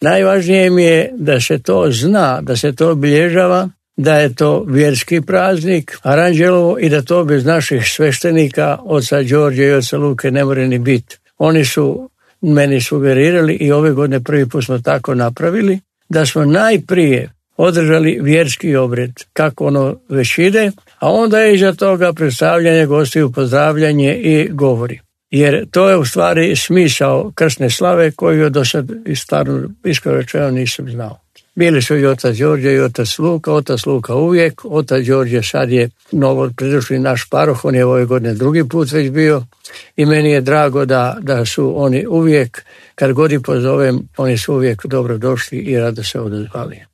Najvažnije mi je da se to zna, da se to obilježava, da je to vjerski praznik Aranđelovo i da to bez naših sveštenika, oca Đorđa i oca Luke, ne more ni biti. Oni su meni sugerirali i ove godine prvi put smo tako napravili, da smo najprije održali vjerski obred, kako ono već ide, a onda je iza toga predstavljanje gostiju, pozdravljanje i govori. Jer to je u stvari smisao krsne slave koju do sad iskreno rečeno nisam znao. Bili su i otac Đorđe i otac Luka uvijek, otac Đorđe sad je novo pridošli naš paroh, on je ove godine drugi put već bio i meni je drago da su oni uvijek, kad god ih pozovem, oni su uvijek dobro došli i rado se odazvali.